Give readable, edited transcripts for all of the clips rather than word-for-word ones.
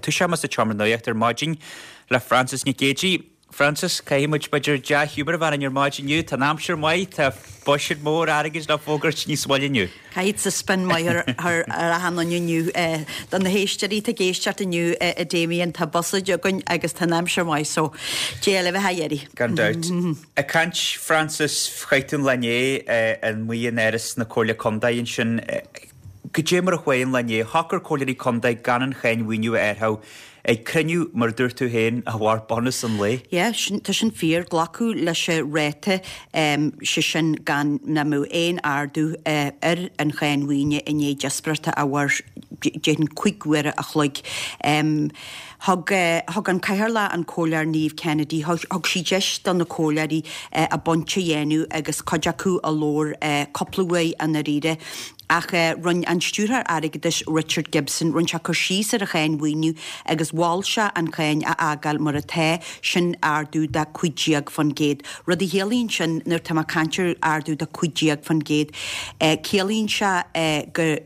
Toiseoidh mé sa tseomra nuachta ar maidin le Frances Nic Géadaigh. Frances, caithfidh muid b'fhéidir dea-ghiúmar a bheith orainn ar maidin inniu. Tá an aimsir maith, tá buiséad mór airgid le fógairt níos moille inniu. Caithfidh tú spin maith ar achan duine inniu. Do na héisteoirí atá ag éisteacht inniu, a Damien, tá buiséad againn agus tá an aimsir maith so Dé le bheith á iarraidh. Gan dabht. Ag caint, Frances, chaith tú an lá inné amuigh in Áras na Comhairle Contae ansin. Goidé mar a chuaigh an lá inné? Shocair comhairleoirí contae gan an cháin mhaoiniú a athrú ag cruinniú, mar a dúirt tú féin, a mhair bunús an lae. Yeah, sin, tá sin fíor. Glacadh leis an ráta, sé sin gan nach mbeadh aon ardú ar an cháin mhaoine i ndiaidh díospóireachta a mhair déarfainn 5 uaire a chloig. Thug, thug an Cathaoirleach, an Comhairleoir Niamh Kennedy, thug sí deis do na comhairleoirí a bpointe a dhéanamh agus cuid acu a labhair cúpla uair i ndáiríre. Ach rinne an Stiúrthóir Airgeadais Richard Gibson, rinne sé cur síos ar an cháin mhaoiniú agus mhol sé an cháin a fhágáil mar atá, sin ardú de 15%. Rud a chiallaíonn sin, nuair atá mé ag caint ar ardú de 15%, ciallaíonn sé go,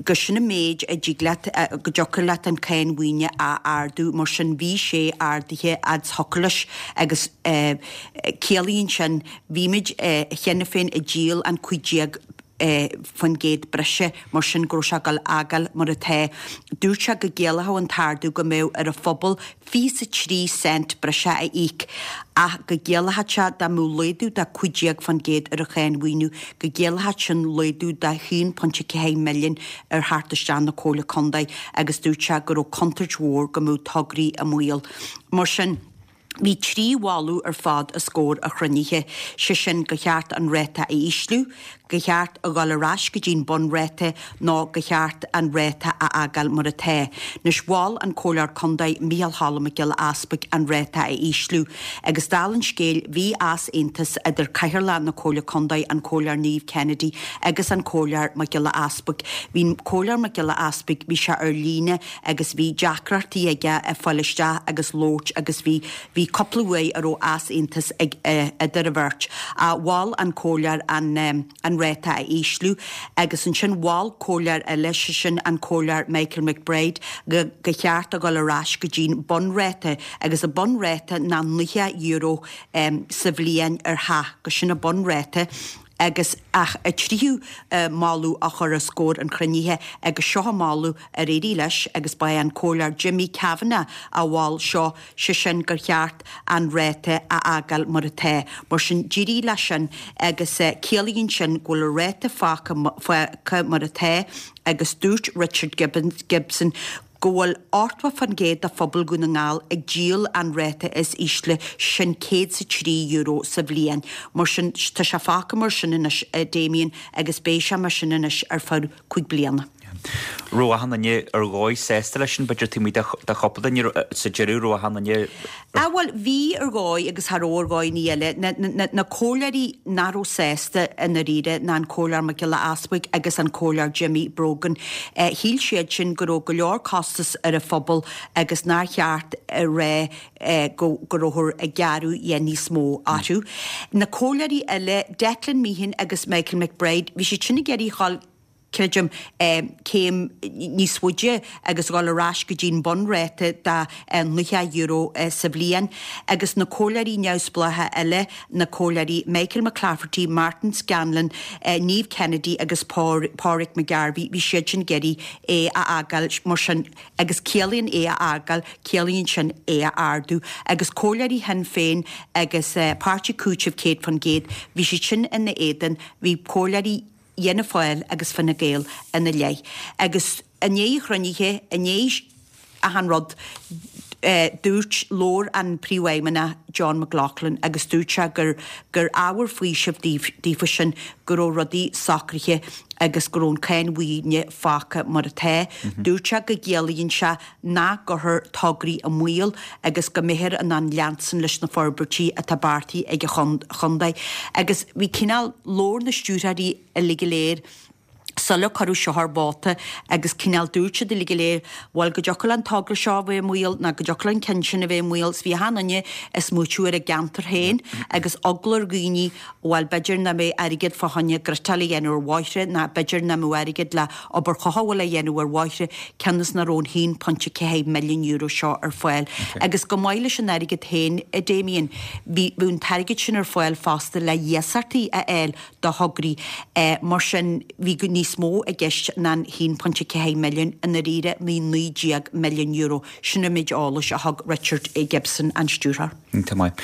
go sin an méid a dtig leat, go dtiocfadh leat an cháin mhaoine a ardú, mar sin bhí sé ardaithe fhad is thiocfadh leis agus ciallaíonn sin, bhí muid cheana féin ag díol an 15% breise, mar sin go raibh sé ag dul a fhágáil mar atá. Dúirt sé go gciallódh an t-ardú go mbeadh ar an phobal 23 cent breise a íoc ach go gciallódh sé dá mbeadh laghdú de 15% ar an cháin mhaoiniú go gciallódh sin laghdú de 1.4 milliún ar theacht isteach na Comhairle Contae agus dúirt sé go raibh contúirt mhór go mbeadh tograí i mbaol. Mar sin. Bhí 3 mholadh ar fad os comhair an chruinnithe, sé sin gur cheart an ráta a ísliú, gur cheart a dhul ar ais go dtí'n bunráta nó gur cheart an ráta a fhágáil mar atá. Anois mhol an Comhairleoir Contae Micheál Cholm Mac Giolla Easpaig an ráta a ísliú agus dála an scéil bhí easaontas idir Cathaoirleach na Comhairle Contae an Comhairleoir Niamh Kennedy agus an Comhairleoir Mac Giolla Easpaig. Bhí an Comhairleoir Mac Giolla Easpaig, bhí sé ar líne agus bhí deacrachtaí aige ag fáil isteach agus labhairt agus bhí, bhí cúpla uair a raibh easaontas ag, idir an bheirt. Mhol an comhairleoir an, an ráta a ísliú agus ansin mhol comhairleoir eile, sé sin an comhairleoir Michael McBride, go, gur cheart a dhul ar ais go dtí'n bunráta agus an bunráta ná €90 sa bhliain ar theach, go sin an bunráta. Agus ach an tríú moladh á chur os comhair an chruinnithe agus seo an moladh ar éirigh leis agus ba é an Comhairleoir Jimmy Kavanagh a mhol seo, sé sin gur cheart an ráta a fhágáil mar atá. Mar sin d'éirigh leis sin agus ciallaíonn sin go bhfuil an ráta fágtha mar atá agus dúirt Richard Gibson go bhfuil 80% de phobal Dhún na nGall ag díol an ráta is ísle, sin €103 sa bhliain. Mar sin, tá sé fágtha mar sin anois, a Damien, agus beidh sé mar sin anois ar feadh 5 bliana. Raibh achan duine ar dhóigh sásta leis sin, b'fhéidir taobh amuigh de chúpla duine sa deireadh, raibh achan duine. Ah bhuel, bhí ar dhóigh agus cha raibh ar dhóigh eile. Na comhairleoirí nach raibh sásta i ndáiríre ná an Comhairleoir Mac Giolla Easbuig agus an Comhairleoir Jimmy Brogan. Shíl siad sin go raibh go leor costas ar an phobal agus nár cheart a rá go go rabhthar ag gearradh dhe níos mó orthu. Na comhairleoirí eile, Declan Meehan agus Michael McBride, bhí siad sin ag iarraidh a dhul creidim, céim níos faide agus dhul ar ais go dtí'n bunráta de €90 sa bhliain. Agus na comhairleoirí neamhspleácha eile, na comhairleoirí Michael McClafferty, Martin Scanlon, Niamh Kennedy agus Pádraig McGarvey, bhí siad sin ag iarraidh é a fhágáil mar sin agus ciallaíonn é a fhágáil, ciallaíonn sin é a ardú. Agus comhairleoirí Shinn Féin agus Páirtí Cúitimh 100%, bhí siad sin ina éadan, bhí comhairleoirí. Fhianna Fáil agus Fine Gael ina leith. Agus i ndiaidh an chruinnithe, i ndiaidh achan rud, dúirt, labhair an Príomhfheidhmeannach John McLaughlin agus dúirt sé gur gur ábhar faoisimh daofa sin go raibh rudaí socraithe agus go raibh an cáin mhaoine fágtha mar atá. Dúirt sé go gciallaíonn sé nach gcuirfear tograí i mbaol agus go mbeifear in ann leanstan leis na forbairtí atá beartaithe ag an chontae. Agus bhí cineál labhair na stiúrthóirí uilig go léir. Sular cuireadh seo ar vóta agus cineál dúirt siad uilig go léir, bhuel go dtiocfadh le an togra seo a bheith i mbaol ná go dtiocfadh le an ceann sin a bheith i mbaol 's bhí achan duine ag smaoitiú ar a gceantar féin agus eagla ar dhaoine bhuel b'fhéidir nach mbeidh airgead fá choinne griotáil a dhéanamh ar bhóithre ná b'fhéidir nach mbeadh airgead le obair chothabhála a dhéanamh ar bhóithre cionn is nach raibh an €1.4 milliún seo ar fáil. Agus chomh maith leis an airgead féin, a Damien, bhí an t-airgead sin ar fáil fosta le iasachtaí a fháil do thograí. Mar sin, bhí níos mó i gceist ná an €1.4 milliún, i ndáiríre bhí €19 milliún. Sin an méid eolais a thug Richard Gibson, an stiúrthóir. Iontach maith.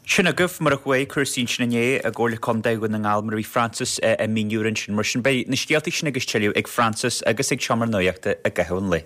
Sin agaibh mar a chuaigh cúrsaí ansin inné i gComhairle Contae Dhún na nGall mar a bhí Frances ag míniú ansin. Mar sin beidh na scéalta sin agus tuilleadh ag Frances agus ag Seomra Nuachta i gcaitheamh an lae.